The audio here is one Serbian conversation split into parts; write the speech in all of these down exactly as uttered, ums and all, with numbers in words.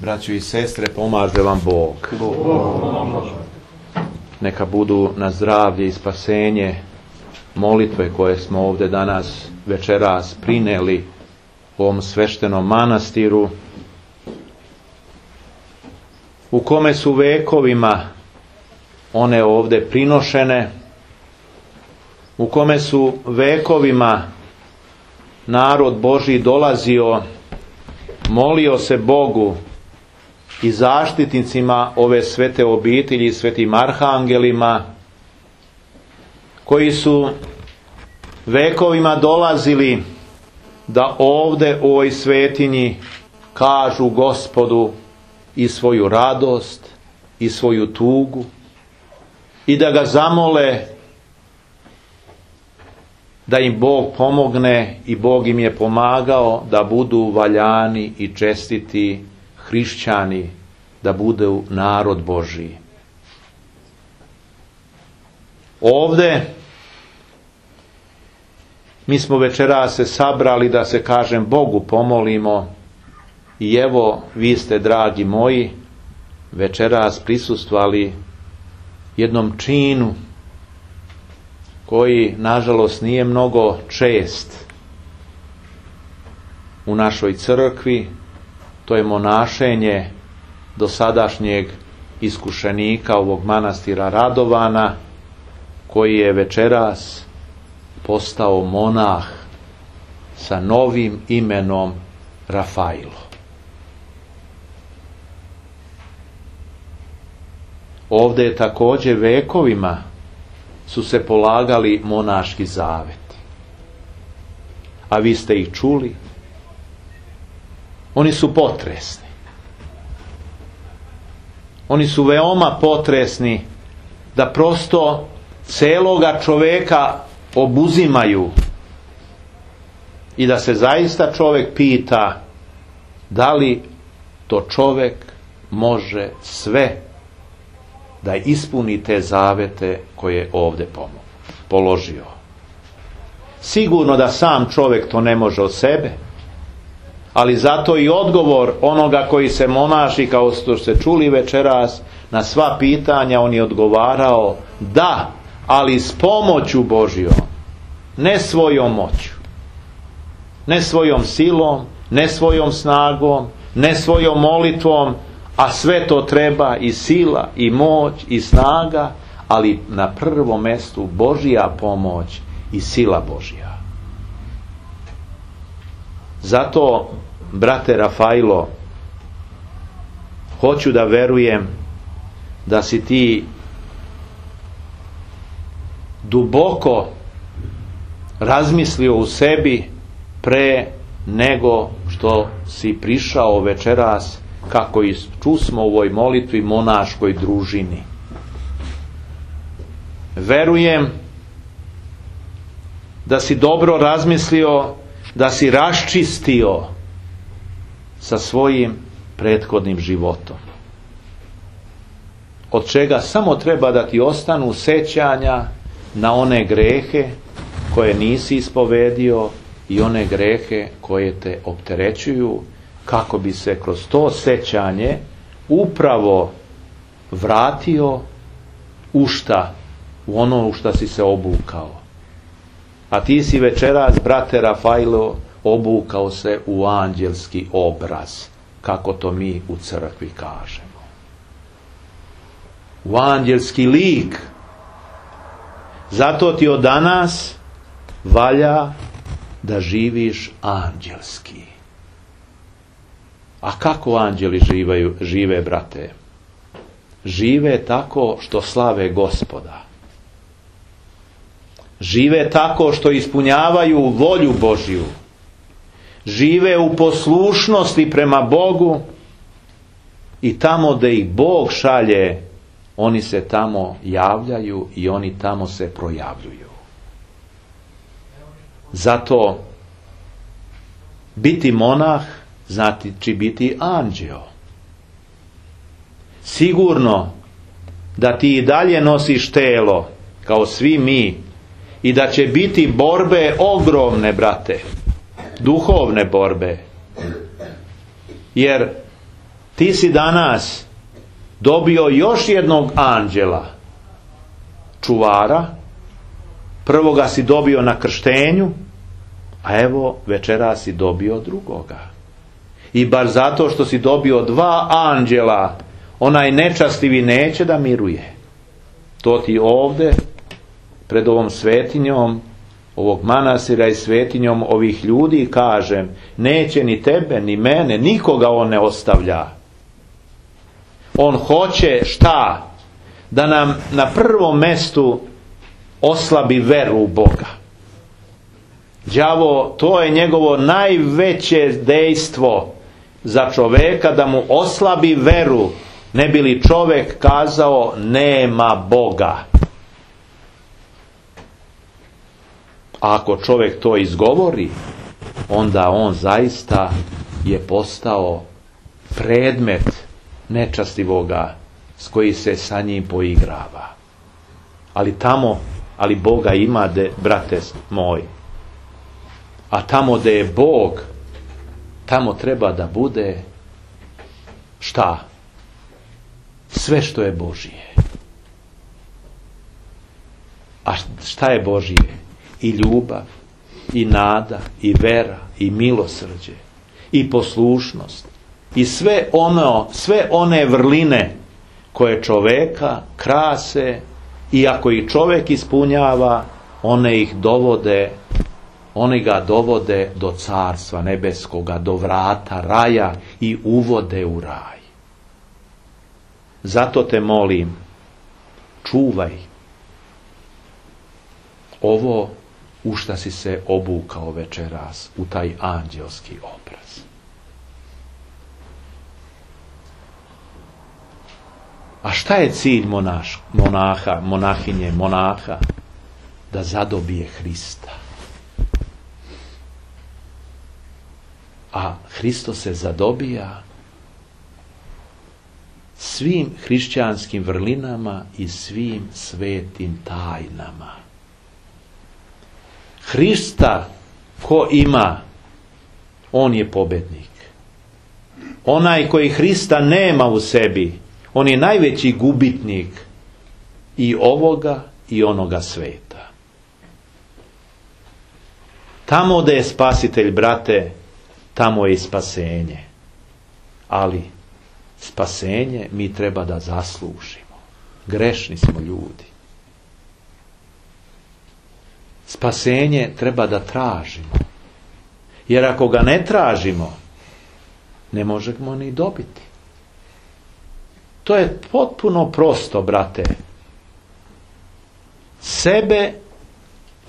Braćo i sestre, pomaže vam Bog. Neka budu na zdravlje i spasenje molitve koje smo ovdje danas večeras prineli u ovom sveštenom manastiru, u kome su vekovima one ovdje prinošene, u kome su vekovima narod Božji dolazio, molio se Bogu i zaštitnicima ove svete obitelji, svetim arhangelima, koji su vekovima dolazili da ovdje u ovoj svetinji kažu Gospodu i svoju radost i svoju tugu i da ga zamole da im Bog pomogne, i Bog im je pomagao da budu valjani i čestiti hrišćani, da budu narod Božji. Ovdje mi smo večeras se sabrali da se, kažem, Bogu pomolimo, i evo vi ste, dragi moji, večeras prisustvovali jednom činu koji nažalost nije mnogo čest u našoj crkvi. To je monašenje dosadašnjeg iskušenika ovog manastira Radovana, koji je večeras postao monah sa novim imenom Rafailo. Ovdje je također vekovima su se polagali monaški zaveti. A vi ste ih čuli. Oni su potresni. Oni su veoma potresni, da prosto celoga čoveka obuzimaju i da se zaista čovjek pita da li to čovjek može sve da ispuni te zavete koje je ovdje položio. Sigurno da sam čovjek to ne može od sebe, ali zato i odgovor onoga koji se monaši, kao što ste čuli večeras, na sva pitanja on je odgovarao da, ali s pomoću Božjom, ne svojom moću, ne svojom silom, ne svojom snagom, ne svojom molitvom, a sve to treba, i sila, i moć, i snaga, ali na prvom mjestu Božja pomoć i sila Božja. Zato, brate Rafailo, hoću da verujem da si ti duboko razmislio u sebi pre nego što si prišao večeras, kako i čusmo u ovoj molitvi, monaškoj družini. Verujem da si dobro razmislio, da si raščistio sa svojim prethodnim životom, od čega samo treba da ti ostanu sećanja na one grehe koje nisi ispovedio i one grehe koje te opterećuju, kako bi se kroz to sećanje upravo vratio u šta? U ono u šta si se obukao. A ti si večeras, brate Rafailo, obukao se u anđelski obraz, kako to mi u crkvi kažemo. U anđelski lik. Zato ti od danas valja da živiš anđelski. A kako anđeli živaju, žive, brate? Žive tako što slave Gospoda. Žive tako što ispunjavaju volju Božju. Žive u poslušnosti prema Bogu, i tamo da ih Bog šalje, oni se tamo javljaju i oni tamo se projavljuju. Zato biti monah znači biti anđeo. Sigurno da ti i dalje nosiš telo, kao svi mi, i da će biti borbe ogromne, brate, duhovne borbe, jer ti si danas dobio još jednog anđela, čuvara, prvoga si dobio na krštenju, a evo večeras si dobio drugoga. I bar zato što si dobio dva anđela, onaj nečastivi neće da miruje. To ti ovde, pred ovom svetinjom, ovog manastira i svetinjom ovih ljudi kažem, neće ni tebe, ni mene, nikoga on ne ostavlja. On hoće šta? Da nam na prvom mestu oslabi veru u Boga. Đavo, to je njegovo najveće dejstvo za čoveka, da mu oslabi veru, ne bi li čovek kazao nema Boga. A ako čovjek to izgovori, onda on zaista je postao predmet nečastivoga s koji se sa njim poigrava. Ali tamo, ali Boga ima, de, brate moj. A tamo gdje je Bog, tamo treba da bude šta? Sve što je Božije. A šta je Božije? I ljubav, i nada, i vera, i milosrđe, i poslušnost, i sve ono, sve one vrline koje čoveka krase, i ako ih čovjek ispunjava, one ih dovode, one ga dovode do carstva nebeskoga, do vrata raja i uvode u raj. Zato te molim, čuvaj ovo u šta si se obukao večeras, u taj anđelski obraz. A šta je cilj monaš, monaha, monahinje, monaha? Da zadobije Hrista. A Hristos se zadobija svim hrišćanskim vrlinama i svim svetim tajnama. Hrista ko ima, on je pobednik. Onaj koji Hrista nema u sebi, on je najveći gubitnik i ovoga i onoga sveta. Tamo gdje je spasitelj, brate, tamo je i spasenje. Ali spasenje mi treba da zaslužimo. Grešni smo ljudi. Spasenje treba da tražimo. Jer ako ga ne tražimo, ne možemo ni dobiti. To je potpuno prosto, brate. Sebe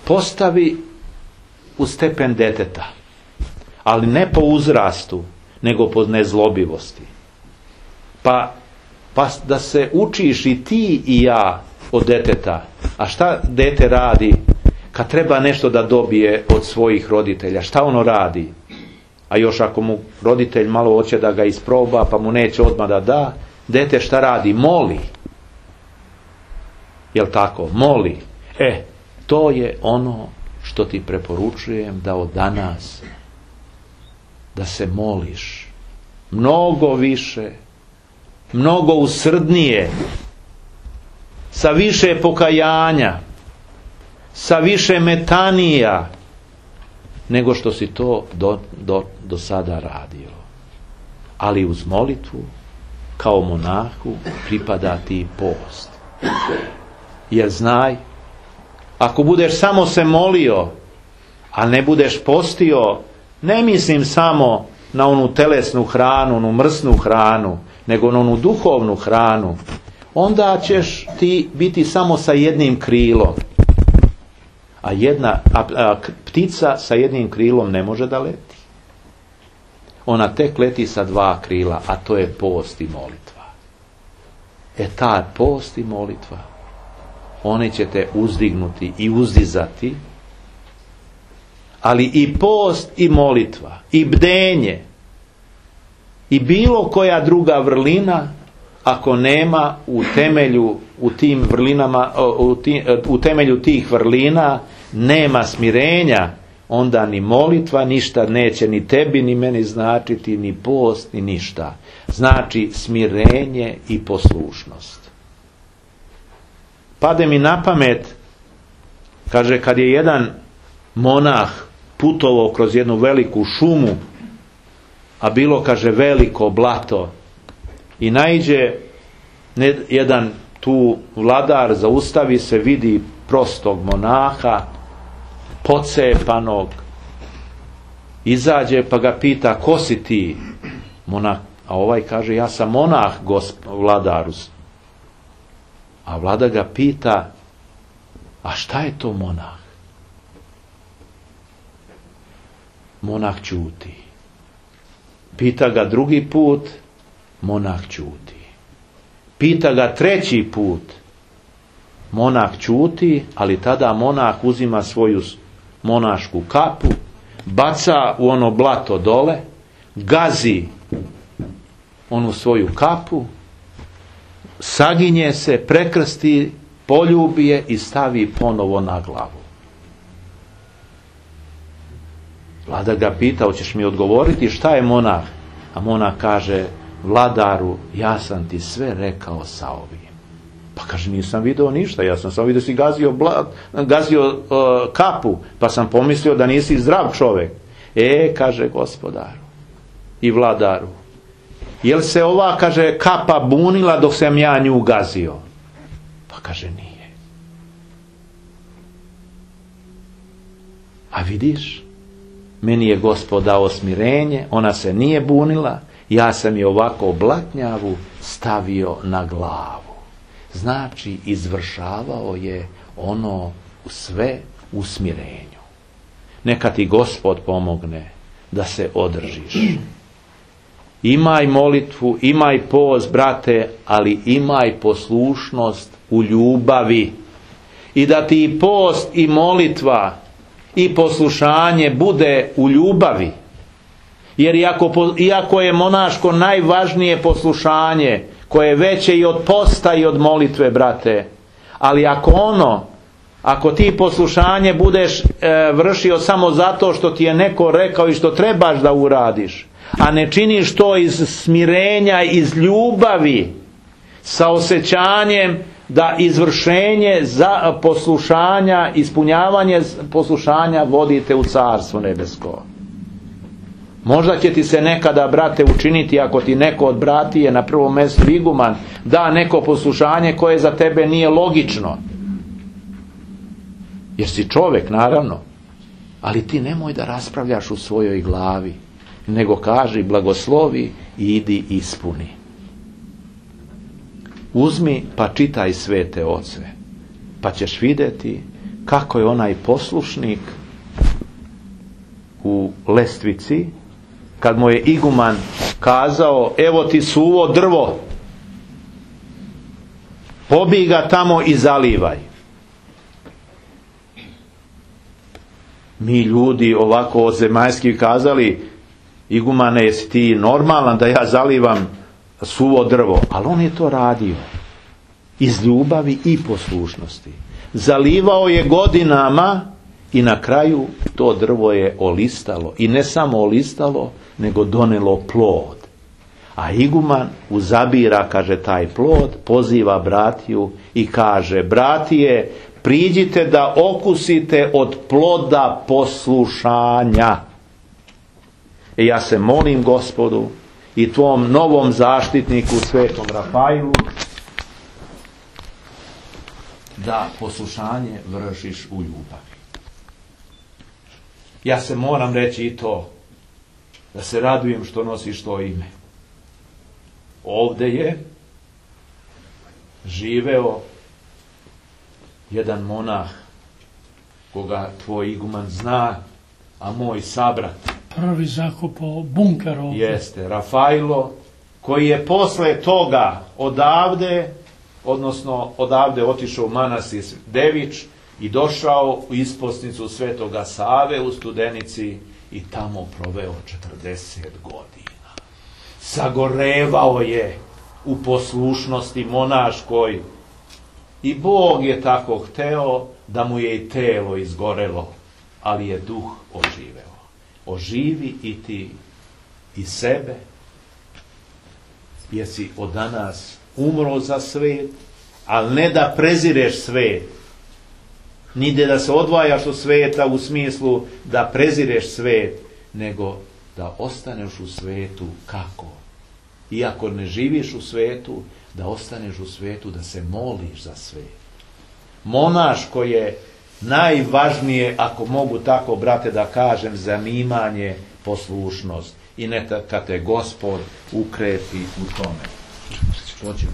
postavi u stepen deteta. Ali ne po uzrastu, nego po nezlobivosti. Pa, pa da se učiš i ti i ja od deteta. A šta dete radi kad treba nešto da dobije od svojih roditelja? Šta ono radi? A još ako mu roditelj malo hoće da ga isproba, pa mu neće odmah da da, dete šta radi? Moli. Jel tako? Moli. E, to je ono što ti preporučujem da od danas da se moliš mnogo više, mnogo usrdnije, sa više pokajanja, sa više metanija nego što si to do, do, do sada radio. Ali uz molitvu kao monahu pripada ti post. Jer znaj, ako budeš samo se molio, a ne budeš postio, ne mislim samo na onu telesnu hranu, onu mrsnu hranu, nego na onu duhovnu hranu, onda ćeš ti biti samo sa jednim krilom. A jedna a, a, ptica sa jednim krilom ne može da leti. Ona tek leti sa dva krila, a to je post i molitva. E ta post i molitva, one će te uzdignuti i uzdizati, ali i post i molitva, i bdenje, i bilo koja druga vrlina, ako nema u temelju, u tim vrlinama, u, tim, u temelju tih vrlina, nema smirenja onda ni molitva ništa neće ni tebi ni meni značiti, ni post ni ništa. Znači smirenje i poslušnost. Pade mi na pamet, kaže, kad je jedan monah putovao kroz jednu veliku šumu, a bilo, kaže, veliko blato, i naiđe jedan tu vladar, zaustavi se, vidi prostog monaha, pocepanog, izađe pa ga pita, ko si ti? Monah, a ovaj kaže, ja sam monah, gosp, vladaru. A vladar ga pita, a šta je to monah? Monah ćuti. Pita ga drugi put, monah ćuti. Pita ga treći put, monah ćuti, ali tada monah uzima svoju monašku kapu, baca u ono blato dole, gazi onu svoju kapu, saginje se, prekrsti, poljubi je i stavi ponovo na glavu. Vladar ga pita, hoćeš mi odgovoriti šta je monah? A monah kaže, vladaru, ja sam ti sve rekao sa ovim. Pa kaže, nisam video ništa, ja sam samo vidio si gazio, bla, gazio uh, kapu, pa sam pomislio da nisi zdrav čovjek. E, kaže gospodaru i vladaru, jel se ova, kaže, kapa bunila dok sam ja nju gazio? Pa kaže, nije. A vidiš, meni je Gospod dao smirenje, ona se nije bunila, ja sam je ovako blatnjavu stavio na glavu. Znači, izvršavao je ono sve u smirenju. Neka ti Gospod pomogne da se održiš. Imaj molitvu, imaj post, brate, ali imaj poslušnost u ljubavi. I da ti post i molitva i poslušanje bude u ljubavi. Jer iako, iako je monaško najvažnije poslušanje, koje je veće i od posta i od molitve, brate, ali ako ono, ako ti poslušanje budeš e, vršio samo zato što ti je neko rekao i što trebaš da uradiš, a ne činiš to iz smirenja, iz ljubavi, sa osjećanjem da izvršenje za poslušanja, ispunjavanje poslušanja vodite u Carstvo nebesko. Možda će ti se nekada, brate, učiniti, ako ti neko od bratije, na prvom mjestu iguman, da neko poslušanje koje za tebe nije logično. Jer si čovjek, naravno. Ali ti nemoj da raspravljaš u svojoj glavi, nego kaži, blagoslovi i idi ispuni. Uzmi pa čitaj svete oce, pa ćeš vidjeti kako je onaj poslušnik u lestvici, kad mu je iguman kazao, evo ti suvo drvo, pobij ga tamo i zalivaj. Mi ljudi ovako zemaljski kazali, igumane, jesi ti normalan da ja zalivam suvo drvo? Ali on je to radio iz ljubavi i poslušnosti. Zalivao je godinama i na kraju to drvo je olistalo. I ne samo olistalo, nego donelo plod. A iguman uzabira, kaže, taj plod, poziva bratiju i kaže, bratije, priđite da okusite od ploda poslušanja. E ja se molim Gospodu i tvom novom zaštitniku, svetom Rafailu, da poslušanje vršiš u ljubavi. Ja se moram reći i to, da se radujem što nosiš to ime. Ovdje je živeo jedan monah koga tvoj iguman zna, a moj sabrat prvi zakupao bunker ovdje. Jeste, Rafailo, koji je posle toga odavde, odnosno odavde otišao u manastir Devič i došao u isposnicu Svetoga Save u Studenici i tamo proveo četrdeset godina. Sagorevao je u poslušnosti monaškoj i Bog je tako hteo da mu je i telo izgorelo. ali je duh oživeo. Oživi i ti i sebe, jesi od danas umro za svet, ali ne da prezireš svet, nide da se odvajaš od sveta u smislu da prezireš svet, nego da ostaneš u svetu kako? Iako ne živiš u svetu, da ostaneš u svetu, da se moliš za svet. Monaško je najvažnije, ako mogu tako, brate, da kažem, zanimanje, poslušnost. I neka te Gospod ukreti u tome. Hoćemo.